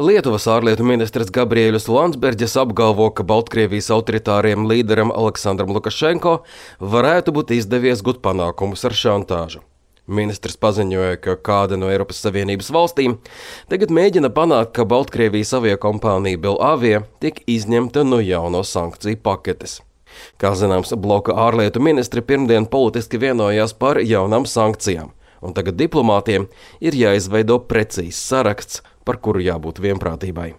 Lietuvas ārlietu ministrs Gabriēļus Landsbergis apgalvo, ka Baltkrievijas autoritāriem līderam Aleksandram Lukašenko varētu būt izdevies gūt panākumus ar šantāžu. Ministrs paziņoja, ka kāda no Eiropas Savienības valstīm tagad mēģina panākt, ka Baltkrievijas aviokompānija Belavia tiek izņemta no jauno sankciju paketes. Kā zināms, bloka ārlietu ministri pirmdien politiski vienojās par jaunām sankcijām, un tagad diplomātiem ir jāizveido precīzs saraksts, par kuru jābūt vienprātībai.